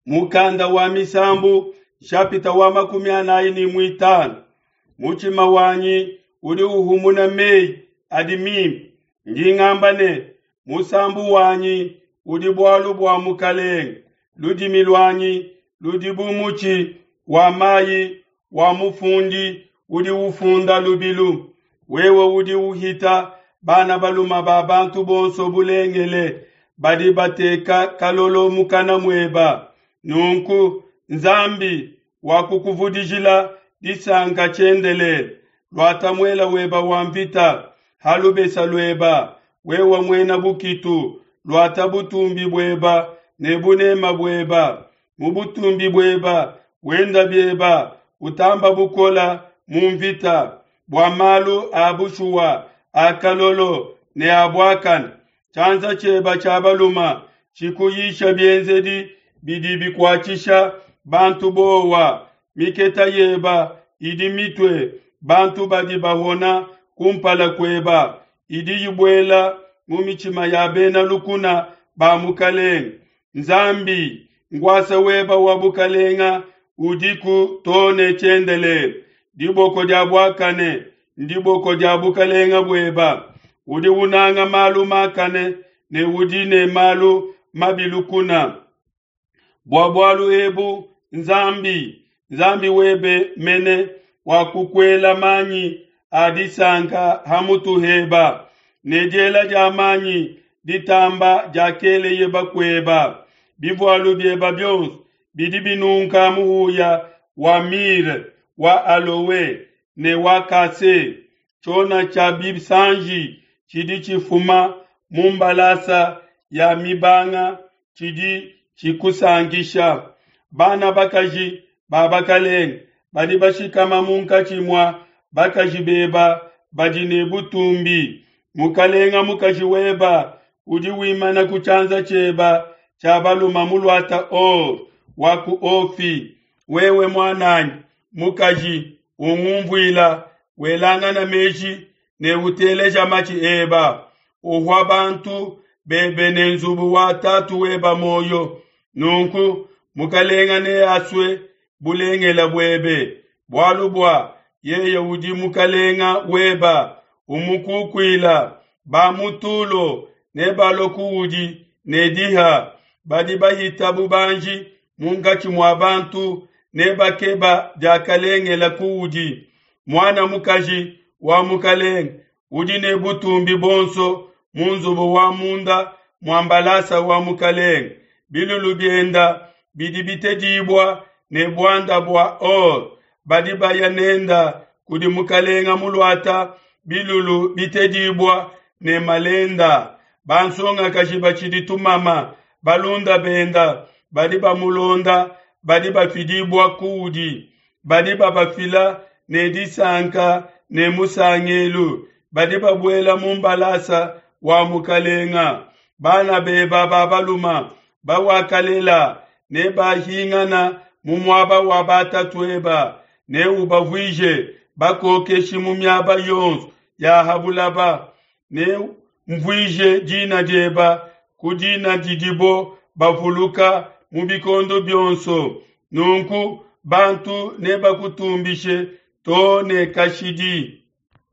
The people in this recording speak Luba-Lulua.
Mukanda wa Misambu nshapita wa 45. Mutshima wanyi udi uhumuna meyi adi mimpe. Ndi ngamba ne, musambu wanyi udi bualu bua mukalenge. Ludimi luanyi ludi bu mutshi wa mayi wa mufundi udi ufunda lubilu. Wewe udi uhita bana balume ba bantu bonso bulengele, badi bateka kalolo mukana mueba. Nunku Nzambi wakukuvudijila disanka tshiendelele. Luata muela weba wa mvita ha lubesa lueba, wewe muena bukitu, luata butumbi bueba ne bunema bueba. Mu butumbi bueba wenda bieba, utamba bukola mu mvita, bua malu a bushuwa a kalolo ne a buakane. Tshianza tshieba tshia baluma tshikuyisha bienzedi bidi bikuatshisha bantu bowa. Miketa yeba idi mitue bantu badi bahona kumpala kueba, idi ibuela mu mitshima ya bena lukuna ba mukalenge. Nzambi, nkuasa weba wa bukalenga udiku too ne tshiendelele. Diboko dia buakane ndiboko dia bukalenga bueba. Udi unanga malu makane ne udi ne malu mabi lukuna. Bua bualu ebu Nzambi, Nzambi webe mene, wakukuela manyi a disanka ha mutu heba, ne diela dia manyi ditamba diakeleye bakueba. Bivualu bieba bionso bidi binunka muhuya wa mire, wa aloe ne wa kase. Tshiona tshia bisanji tshidi tshifuma mu mbalasa ya mibanga tshidi tshikusankisha. Bana bakaji ba bakalenge badi bashikama munkatshi mua bakaji beba badi ne butumbi. Mukalenga mukaji weba udi wimana ku tshianza tshieba tshia baluma muluata or wa ku Ofi. Wewe muananyi mukaji ungumvuila, welangana meji ne uteleja matshi eba. Uhua bantu bebe ne nzubu wa tatu weba moyo. Nunku mukalenga neasue bulengela buebe, bualu bua yeye udi mukalenga weba. Umukukuila ba mu Tulo ne balue kuudi ne diha. Badi bahita bubanji munkatshi mua bantu ne bakeba diakalengela kuudi. Muana mukaji wa mukalenge udi ne butumbi buonso mu nzubu wa munda mua mbalasa wa mukalenge. Bilulu bienda bidi bitedibua ne buanda bua or. Badi baya nenda kudi mukalenga muluata bilulu bitedibua ne malenda. Bansongakaji batshidi tumama, balunda benda badi bamulonda badi bafidibua kuudi. Badi babafila ne disanka ne musangelu. Badi babuela mu mbalasa wa mukalenga. Bana beba ba baluma bawakalela ne bahingana mu muaba wa batatueba, ne ubavuije bakokeshi mu miaba yonso ya ha bulaba. Ne mvuije dina dieba ku dina didibo bavuluka mu bikondo bionso. Nunku bantu nebakutumbishe too ne kashidi.